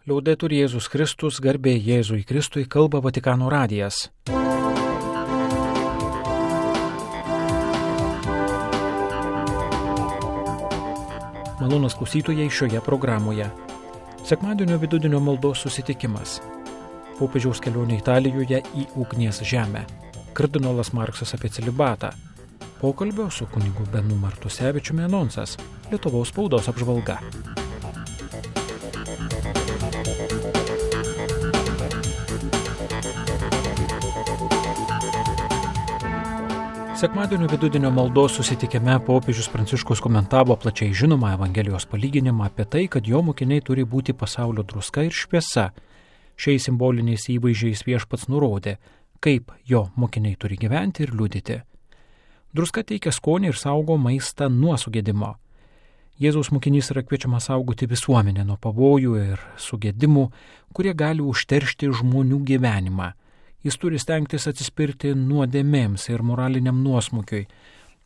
Liaudetur Jėzus Kristus, garbė Jėzui Kristui, kalba Vatikano radijas. Malonūs klausytojai šioje programoje. Sekmadienio vidudienio maldos susitikimas. Popiežiaus kelionė Italijoje į ugnies žemę. Kardinolas Marksas apie celibatą. Pokalbio su kunigu Benu Martusevičiumi anonsas. Lietuvos spaudos apžvalga. Sekmadienio vidudienio maldos susitikime popiežius Pranciškus komentavo plačiai žinomą Evangelijos palyginimą apie tai, kad jo mokiniai turi būti pasaulio druska ir šviesa. Šiais simboliniais įvaizdžiais viešpats nurodė, kaip jo mokiniai turi gyventi ir liudyti. Druska teikia skonį ir saugo maistą nuo sugedimo. Jėzaus mokinys yra kviečiamas saugoti visuomenę nuo pavojų ir sugedimų, kurie gali užteršti žmonių gyvenimą. Jis turi stengtis atsispirti nuodėmėms ir moraliniam nuosmukiui,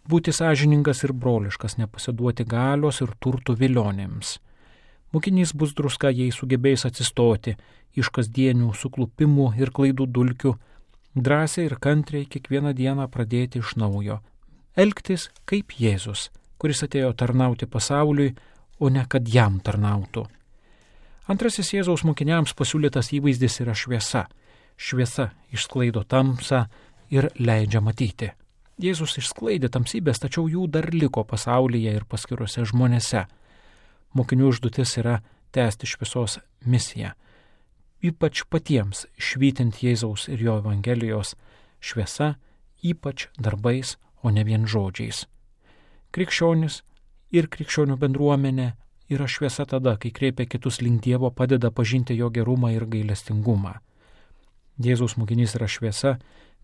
būti sąžiningas ir broliškas, nepasiduoti galios ir turtų vilionėms. Mokinys bus druska, jei sugebės atsistoti iš kasdienių suklupimų ir klaidų dulkių, drąsiai ir kantriai kiekvieną dieną pradėti iš naujo. Elgtis kaip Jėzus, kuris atėjo tarnauti pasauliui, o ne kad jam tarnautų. Antrasis Jėzaus mokiniams pasiūlytas įvaizdis yra šviesa. Šviesa išsklaido tamsą ir leidžia matyti. Jėzus išsklaidė tamsybės, tačiau jų dar liko pasaulyje ir paskiruose žmonėse. Mokinių užduotis yra tęsti šviesos misiją. Ypač patiems švytint Jėzaus ir jo Evangelijos šviesa, ypač darbais, o ne vien žodžiais. Krikščionis ir krikščionių bendruomenė yra šviesa tada, kai kreipia kitus link Dievo, padeda pažinti jo gerumą ir gailestingumą. Jėzaus mokinys yra šviesa,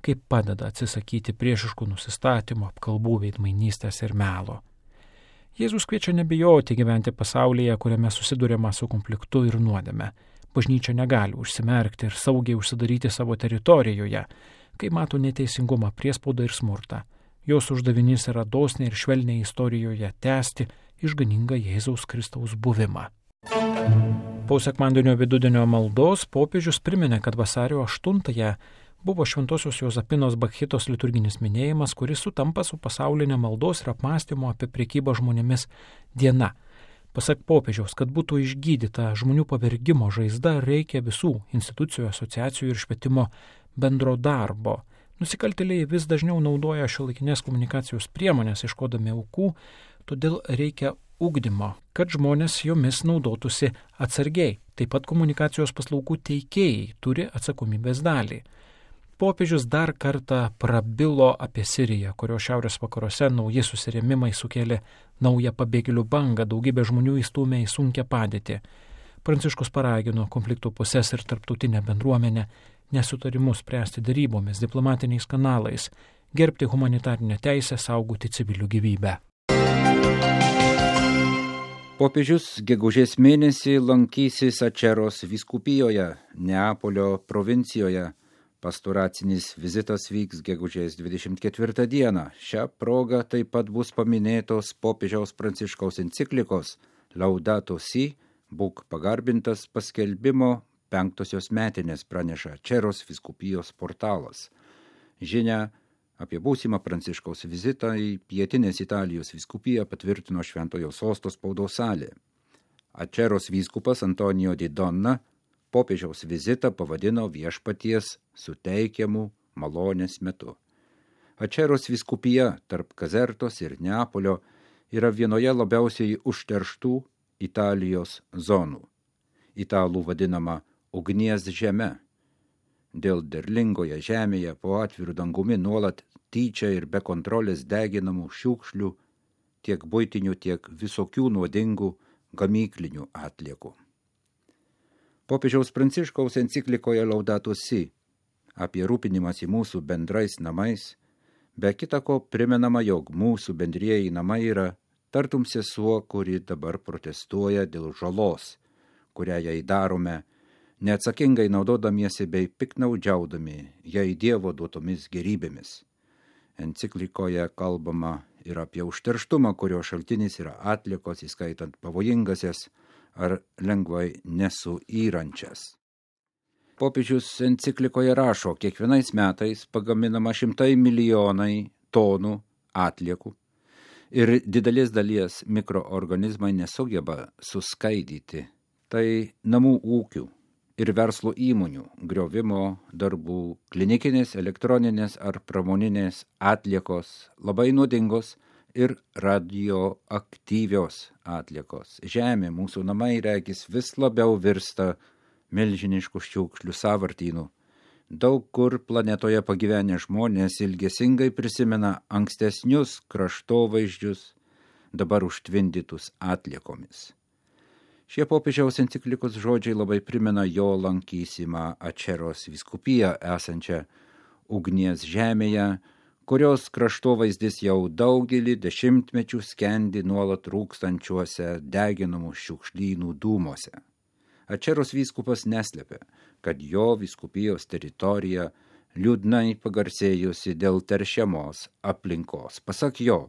kaip padeda atsisakyti priešiškų nusistatymų, apkalbų, veidmainystės ir melo. Jėzus kviečia nebijoti gyventi pasaulyje, kuriame susiduriama su konfliktu ir nuodėme. Bažnyčia negali užsimerkti ir saugiai užsidaryti savo teritorijoje, kai mato neteisingumą, priespaudą ir smurtą. Jos uždavinys yra dosniai ir švelniai istorijoje tęsti išganingą Jėzaus Kristaus buvimą. Po sekmadienio vidudienio maldos popiežius priminė, kad vasario 8-ąją buvo Šventosios Jozapinos Bakchitos liturginis minėjimas, kuris sutampa su pasaulinė maldos ir apmąstymo apie prekybą žmonėmis diena. Pasak popiežiaus, kad būtų išgydyta žmonių pavergimo žaizda, reikia visų institucijų, asociacijų ir švietimo bendro darbo. Nusikaltėliai vis dažniau naudoja šiuolaikinės komunikacijos priemonės ieškodami aukų, todėl reikia ugdymo, kad žmonės jomis naudotųsi atsargiai. Taip pat komunikacijos paslaugų teikėjai turi atsakomybės dalį. Popiežius dar kartą prabilo apie Siriją, kurio šiaurės vakaruose nauji susirėmimai sukėlė naują pabėgėlių bangą, daugybė žmonių įstūmė į sunkią padėtį. Pranciškus paragino konfliktų puses ir tarptautinę bendruomenę nesutarimus spręsti derybomis, diplomatiniais kanalais, gerbti humanitarinę teisę, saugoti civilių gyvybę. Popiežius gegužės mėnesį lankysis Aceros vyskupijoje, Neapolio provincijoje. Pastoracinis vizitas vyks gegužės 24 dieną. Šią progą taip pat bus paminėtos popiežiaus Pranciškaus enciklikos Laudato Si, būk pagarbintas paskelbimo 5-osios metinės, praneša Aceros vyskupijos portalas. Žinia apie būsimą Pranciškaus vizitą į pietinės Italijos vyskupiją patvirtino Šventojo Sosto spaudos salė. Aceros vyskupas Antonijo Di Donna popiežiaus vizitą pavadino viešpaties suteikiamų malonės metu. Aceros vyskupija tarp Kazertos ir Neapolio yra vienoje labiausiai užterštų Italijos zonų. Italų vadinama ugnies žeme. Dėl derlingoje žemėje po atviru dangumi nuolat tyčia ir be kontrolės deginamų šiukšlių, tiek buitinių, tiek visokių nuodingų gamyklinių atliekų. Popiežiaus Pranciškaus enciklikoje Laudato Si apie rūpinimąsi mūsų bendrais namais, be kita ko primenama, jog mūsų bendrieji namai yra tartum sesuo, kuri dabar protestuoja dėl žalos, kurią jai darome, neatsakingai naudodamiesi bei piknaudžiaudami jai Dievo duotomis gerybėmis. Enciklikoje kalbama ir apie užterštumą, kurio šaltinis yra atliekos, įskaitant pavojingasias ar lengvai nesuyrančias. Popiežius enciklikoje rašo, kiekvienais metais pagaminama 100 milijonai tonų atliekų ir didelės dalies mikroorganizmai nesugeba suskaidyti. Tai namų ūkių ir verslo įmonių griovimo darbų, klinikinės, elektroninės ar pramoninės atliekos, labai nuodingos ir radioaktyvios atliekos. Žemė, mūsų namai, regis, vis labiau virsta milžiniškų šiukšlių sąvartynų. Daug kur planetoje pagyvenę žmonės ilgesingai prisimena ankstesnius kraštovaizdžius, dabar užtvindytus atliekomis. Šie popiežiaus enciklikos žodžiai labai primena jo lankysimą Ačeros vyskupiją esančią ugnies žemėje, kurios kraštovaizdis jau daugelį dešimtmečių skendi nuolat rūkstančiuose deginamų šiukšlynų dūmuose. Ačeros vyskupas neslėpė, kad jo vyskupijos teritorija liūdnai pagarsėjusi dėl teršiamos aplinkos. Pasak jo,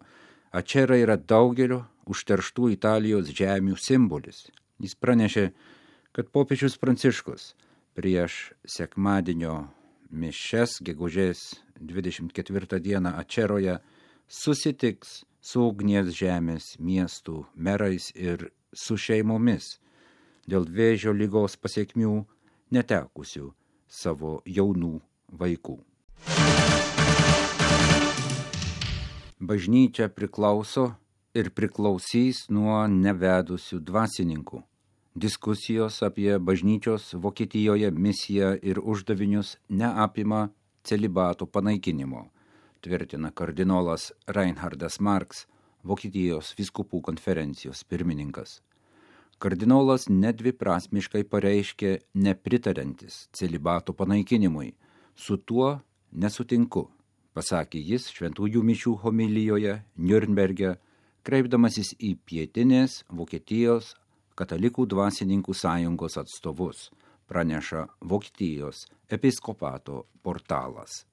Ačera yra daugelio užterštų Italijos žemių simbolis. Jis pranešė, kad popiežius Pranciškus prieš sekmadienio mišias gegužės 24 dieną Ačeroje susitiks su ugnies žemės miestų merais ir su šeimomis dėl vėžio ligos pasekmių netekusių savo jaunų vaikų. Bažnyčia priklauso ir priklausys nuo nevedusių dvasininkų. Diskusijos apie bažnyčios Vokietijoje misiją ir uždavinius neapima celibato panaikinimo, tvirtina kardinolas Reinhardas Marx, Vokietijos vyskupų konferencijos pirmininkas. Kardinolas nedviprasmiškai pareiškė nepritariantis celibato panaikinimui. Su tuo nesutinku, pasakė jis šventųjų mišių homilijoje Niurnberge, kreipdamasis į pietinės Vokietijos katalikų dvasininkų sąjungos atstovus, praneša Vokietijos episkopato portalas.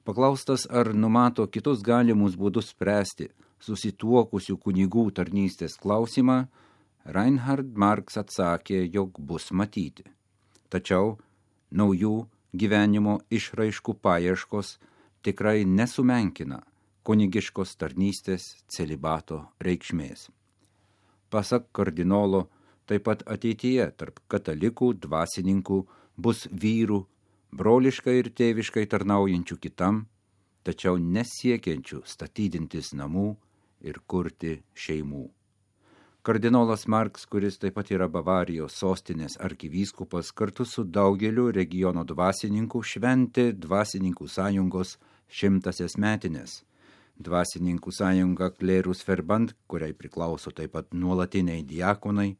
Paklaustas, ar numato kitus galimus būdus spręsti susituokusių kunigų tarnystės klausimą, Reinhard Marx atsakė, jog bus matyti. Tačiau naujų gyvenimo išraiškų paieškos tikrai nesumenkina kunigiškos tarnystės celibato reikšmės. Pasak kardinolo, taip pat ateityje tarp katalikų dvasininkų bus vyrų, broliškai ir tėviškai tarnaujančių kitam, tačiau nesiekiančių statydintis namų ir kurti šeimų. Kardinolas Marx, kuris taip pat yra Bavarijos sostinės arkivyskupas, kartu su daugeliu regiono dvasininkų šventė Dvasininkų sąjungos 100 metinės. Dvasininkų sąjunga Clerus Verband, kuriai priklauso taip pat nuolatiniai diakonai,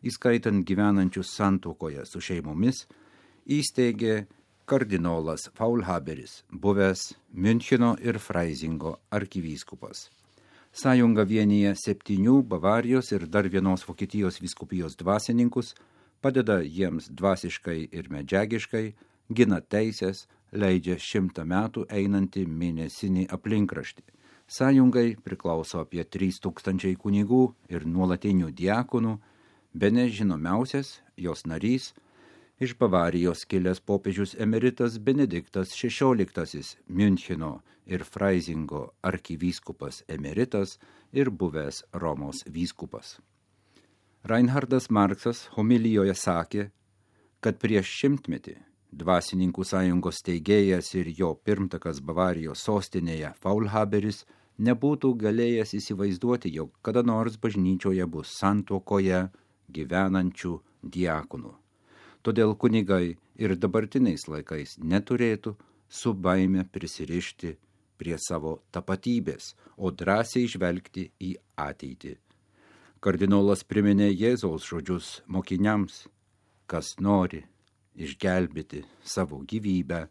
įskaitant gyvenančius santuokoje su šeimomis, įsteigė kardinolas Faulhaberis, buvęs Müncheno ir Freisingo arkivyskupas. Sąjunga vienyje 7 Bavarijos ir dar vienos Vokietijos vyskupijos dvasininkus, padeda jiems dvasiškai ir medžiagiškai, gina teisės, leidžia 100 metų einantį mėnesinį aplinkraštį. Sąjungai priklauso apie 3000 kunigų ir nuolatinių diakonų, bene žinomiausias jos narys, iš Bavarijos kilęs popiežius emeritas Benediktas XVI, Müncheno ir Freisingo arkivyskupas emeritas ir buvęs Romos vyskupas. Reinhardas Marxas homilijoje sakė, kad prieš 100 metį Dvasininkų sąjungos steigėjas ir jo pirmtakas Bavarijos sostinėje Faulhaberis nebūtų galėjęs įsivaizduoti, jog kada nors bažnyčioje bus santuokoje gyvenančių diakonų. Todėl kunigai ir dabartiniais laikais neturėtų su baime prisirišti prie savo tapatybės, o drąsiai žvelgti į ateitį. Kardinolas priminė Jėzaus žodžius mokiniams, kas nori išgelbėti savo gyvybę,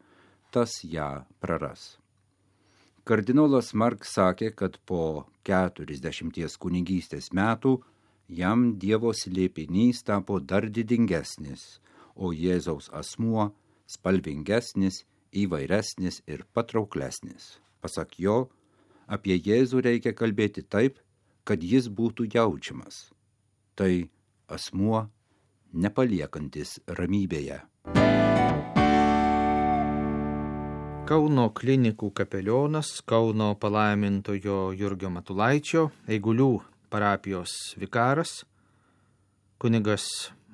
tas ją praras. Kardinolas Marx sakė, kad po 40 kunigystės metų jam Dievo slėpinys tapo dar didingesnis, o Jėzaus asmuo spalvingesnis, įvairesnis ir patrauklesnis. Pasak jo, apie Jėzų reikia kalbėti taip, kad jis būtų jaučiamas. Tai asmuo nepaliekantis ramybėje. Kauno klinikų kapelionas, Kauno palaimintojo Jurgio Matulaičio, Eigulių parapijos vikaras, kunigas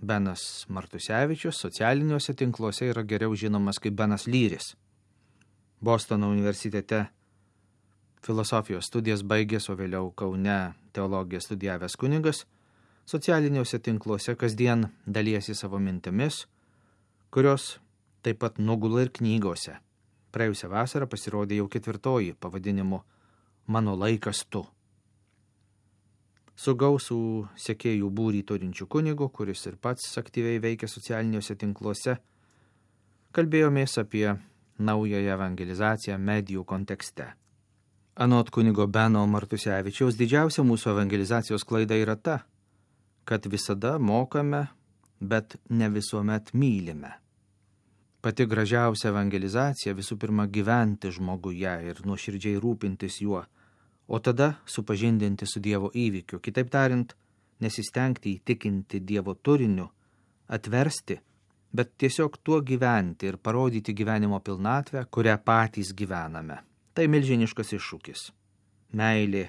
Benas Martusevičius socialiniuose tinkluose yra geriau žinomas kaip Benas Lyris. Bostono universitete filosofijos studijas baigęs, o vėliau Kaune teologiją studijavęs kunigas, socialiniuose tinkluose kasdien dalijasi savo mintimis, kurios taip pat nugula ir knygose. Praėjusią vasarą pasirodė jau 4 pavadinimu Mano laikas tu. Su gausų sekėjų būrį turinčių kunigu, kuris ir pats aktyviai veikia socialiniuose tinkluose, kalbėjomės apie naująją evangelizaciją medijų kontekste. Anot kunigo Beno Martusevičiaus, didžiausia mūsų evangelizacijos klaida yra ta, kad visada mokame, bet ne visuomet mylime. Pati gražiausia evangelizacija visų pirma gyventi žmoguje ir nuoširdžiai rūpintis juo, o tada supažindinti su Dievo įvykiu, kitaip tariant, nesistengti įtikinti Dievo turiniu, atversti, bet tiesiog tuo gyventi ir parodyti gyvenimo pilnatvę, kurią patys gyvename. Tai milžiniškas iššūkis. Meilė,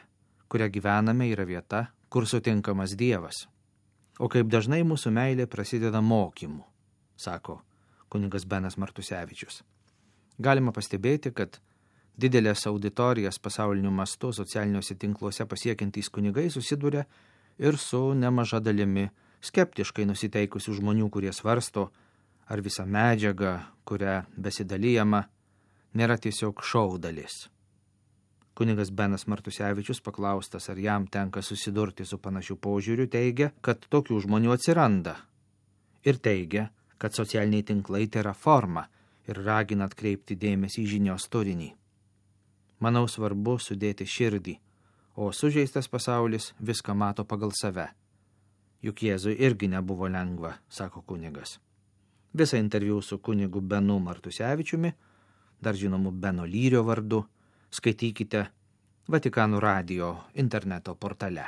kurią gyvename, yra vieta, kur sutinkamas Dievas. O kaip dažnai mūsų meilė prasideda mokymu, sako kunigas Benas Martusevičius. Galima pastebėti, kad didelės auditorijas pasauliniu mastu socialiniuose tinkluose pasiekiantys kunigai susiduria ir su nemaža dalimi skeptiškai nusiteikusių žmonių, kurie svarsto, ar visa medžiaga, kurią besidalijama, nėra tiesiog šou dalis. Kunigas Benas Martusevičius paklaustas, ar jam tenka susidurti su panašiu požiūriu, teigia, kad tokių žmonių atsiranda. Ir teigia, kad socialiniai tinklai tai yra forma ir ragina atkreipti dėmesį į žinios turinį. Manau, svarbu sudėti širdį, o sužeistas pasaulis viską mato pagal save. Juk Jėzui irgi nebuvo lengva, sako kunigas. Visą interviu su kunigu Benu Martusevičiumi, dar žinomu Beno Lyrio vardu, skaitykite Vatikano radijo interneto portale.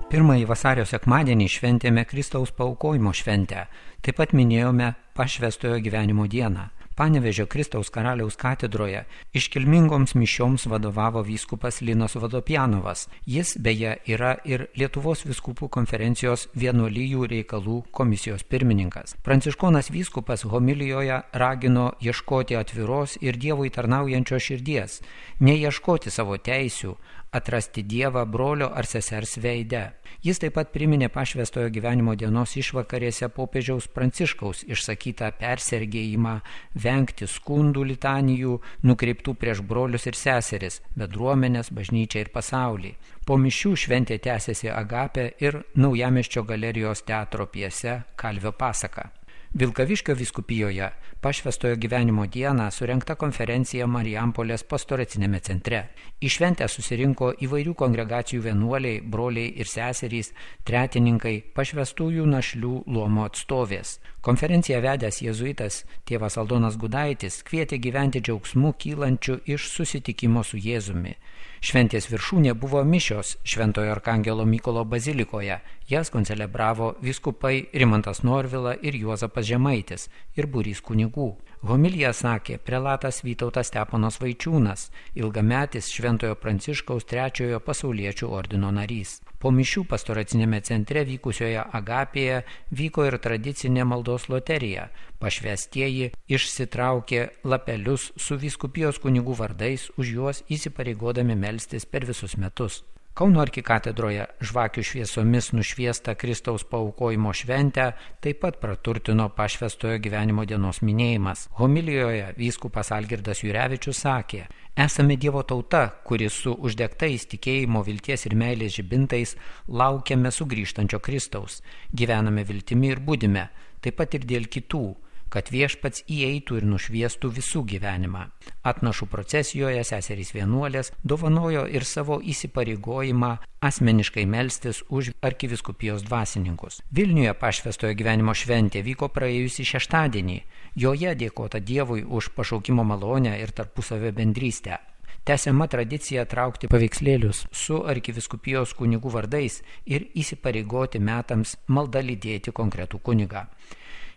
Pirmąjį vasario sekmadienį šventėme Kristaus paaukojimo šventę, taip pat minėjome pašvęstojo gyvenimo dieną. Panevėžio Kristaus karaliaus katedroje iškilmingoms mišioms vadovavo vyskupas Linas Vodopjanovas. Jis beje yra ir Lietuvos vyskupų konferencijos vienuolijų reikalų komisijos pirmininkas. Pranciškonas vyskupas homilijoje ragino ieškoti atviros ir Dievui tarnaujančios širdies, neieškoti savo teisių, atrasti Dievą brolio ar sesers veide. Jis taip pat priminė pašvęstojo gyvenimo dienos išvakarėse popiežiaus Pranciškaus išsakytą persergėjimą vengti skundų litanijų nukreiptų prieš brolius ir seseris, bendruomenės, bažnyčią ir pasaulį. Po mišių šventė tęsėsi Agapė ir Naujamiesčio galerijos teatro pjese Kalvio pasaka. Vilkaviškio vyskupijoje pašvęstojo gyvenimo dieną surengta konferencija Marijampolės pastoracinėme centre. Į šventę susirinko įvairių kongregacijų vienuoliai, broliai ir seserys, tretininkai, pašvęstųjų našlių luomo atstovės. Konferenciją vedęs jėzuitas tėvas Aldonas Gudaitis kvietė gyventi džiaugsmu kylančiu iš susitikimo su Jėzumi. Šventės viršūnė buvo mišios Šventojo Arkangelo Mykolo bazilikoje. Jas koncelebravo vyskupai Rimantas Norvila ir Juozapas Žemaitis ir būrys kunigų. Homiliją sakė prelatas Vytautas Steponas Vaičiūnas, ilgametis Šventojo Pranciškaus III pasauliečių ordino narys. Po mišių pastoracinėme centre vykusioje Agapėje vyko ir tradicinė maldos loterija. Pašvęstieji išsitraukė lapelius su vyskupijos kunigų vardais, už juos įsipareigodami melstis per visus metus. Kauno arkikatedroje žvakių šviesomis nušviesta Kristaus paaukojimo šventę taip pat praturtino pašvęstojo gyvenimo dienos minėjimas. Homilijoje vyskupas Algirdas Jurevičius sakė: esame Dievo tauta, kuri su uždegtais tikėjimo, vilties ir meilės žibintais laukiame sugrįžtančio Kristaus. Gyvename viltimi ir budime, taip pat ir dėl kitų, kad viešpats įeitų ir nušviestų visų gyvenimą. Atnašų procesijoje seserys vienuolės dovanojo ir savo įsipareigojimą asmeniškai melstis už arkivyskupijos dvasininkus. Vilniuje pašvęstojo gyvenimo šventė vyko praėjusį šeštadienį. Joje dėkota Dievui už pašaukimo malonę ir tarpusavio bendrystę. Tęsiama tradicija traukti paveikslėlius su arkivyskupijos kunigų vardais ir įsipareigoti metams malda lydėti konkretų kunigą.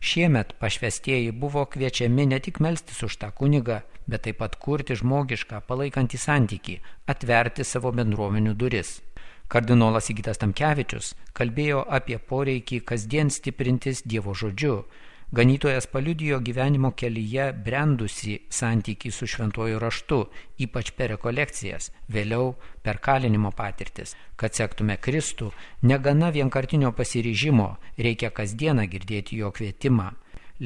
Šiemet pašvestieji buvo kviečiami ne tik melstis už tą kunigą, bet taip pat kurti žmogišką, palaikantį santykį, atverti savo bendruomenių duris. Kardinolas Sigitas Tamkevičius kalbėjo apie poreikį kasdien stiprintis Dievo žodžiu. Ganytojas paliudijo gyvenimo kelyje brendusi santykį su šventuoju raštu, ypač per rekolekcijas, vėliau per kalinimo patirtis. Kad sektume Kristų, negana vienkartinio pasiryžimo, reikia kasdieną girdėti jo kvietimą.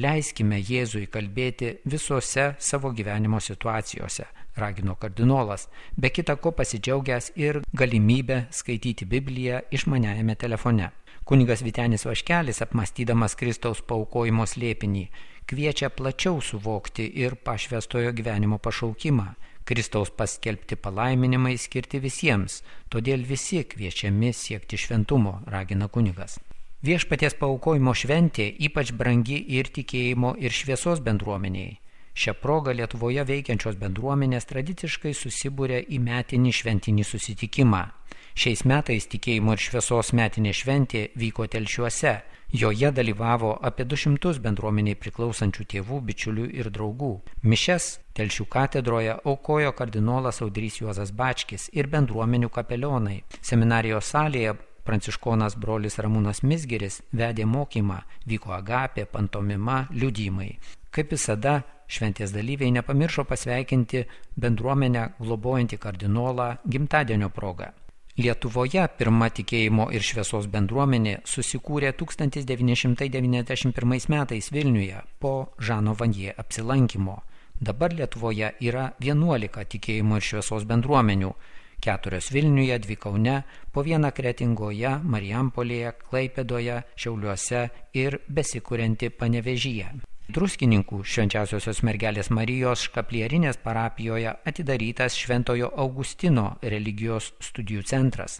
Leiskime Jėzui kalbėti visose savo gyvenimo situacijose, ragino kardinolas, be kita ko pasidžiaugęs ir galimybę skaityti Bibliją išmaniajame telefone. Kunigas Vytenis Vaškelis, apmąstydamas Kristaus paaukojimo slėpinį, kviečia plačiau suvokti ir pašvestojo gyvenimo pašaukimą. Kristaus paskelbti palaiminimai skirti visiems, todėl visi kviečiami siekti šventumo, ragina kunigas. Viešpaties paaukojimo šventė ypač brangi ir tikėjimo ir šviesos bendruomeniai. Šią progą Lietuvoje veikiančios bendruomenės tradiciškai susibūrė į metinį šventinį susitikimą. Šiais metais tikėjimo ir šviesos metinė šventė vyko Telšiuose. Joje dalyvavo apie 200 bendruomeniai priklausančių tėvų, bičiulių ir draugų. Mišias Telšių katedroje aukojo kardinolas Audrys Juozas Bačkis ir bendruomenių kapelionai. Seminarijos salėje pranciškonas brolis Ramūnas Mizgiris vedė mokymą, vyko agapė, pantomima, liudijimai. Kaip visada, šventės dalyviai nepamiršo pasveikinti bendruomenę globojantį kardinolą gimtadienio progą. Lietuvoje pirma tikėjimo ir šviesos bendruomenė susikūrė 1991 metais Vilniuje po Žano Vanje apsilankymo. Dabar Lietuvoje yra 11 tikėjimo ir šviesos bendruomenių, 4 Vilniuje, 2 Kaune, po 1 Kretingoje, Marijampolėje, Klaipėdoje, Šiauliuose ir besikurianti Panevėžyje. Druskininkų Švenčiausiosios mergelės Marijos Škaplierinės parapijoje atidarytas Šventojo Augustino religijos studijų centras.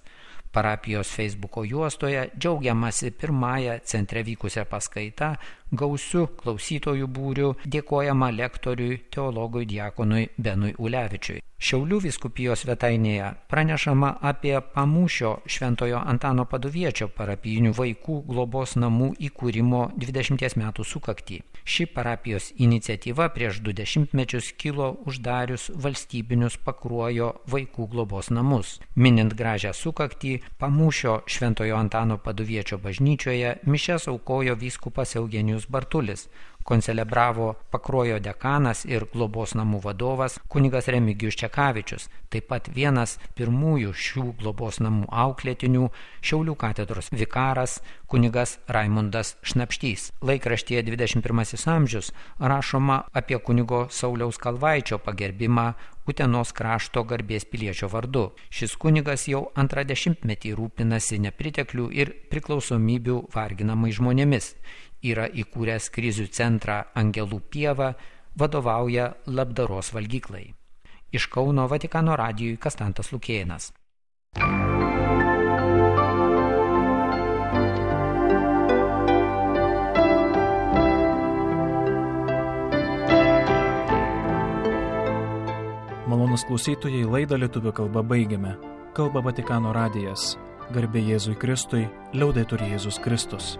Parapijos Facebooko juostoje džiaugiamasi pirmąją centre vykusią paskaitą, gausiu klausytojų būriu, dėkojama lektoriui, teologui diakonui Benui Ulevičiui. Šiaulių vyskupijos svetainėje pranešama apie Pamūšio Šventojo Antano Paduviečio parapijinių vaikų globos namų įkūrimo 20 metų sukaktį. Ši parapijos iniciatyva prieš 20 mečius kilo uždarius valstybinius Pakruojo vaikų globos namus. Minint gražią sukaktį, Pamūšio Šventojo Antano Paduviečio bažnyčioje mišias aukojo vyskupas Eugenijus Bartulis. Koncelebravo Pakruojo dekanas ir globos namų vadovas kunigas Remigijus Čekavičius, taip pat vienas pirmųjų šių globos namų auklėtinių Šiaulių katedros vikaras kunigas Raimundas Šnapštys. Laikraštyje 21 amžius rašoma apie kunigo Sauliaus Kalvaičio pagerbimą Utenos krašto garbės piliečio vardu. Šis kunigas jau 20-metį rūpinasi nepriteklių ir priklausomybių varginamai žmonėmis. Yra įkūręs krizių centrą Angelų pieva, vadovauja labdaros valgyklai. Iš Kauno Vatikano radijui Kastantas Lukėnas. Malonūs klausytojai, laidą lietuvių kalba baigiame. Kalba Vatikano radijas. Garbė Jėzui Kristui, liaudetur Jėzus Kristus.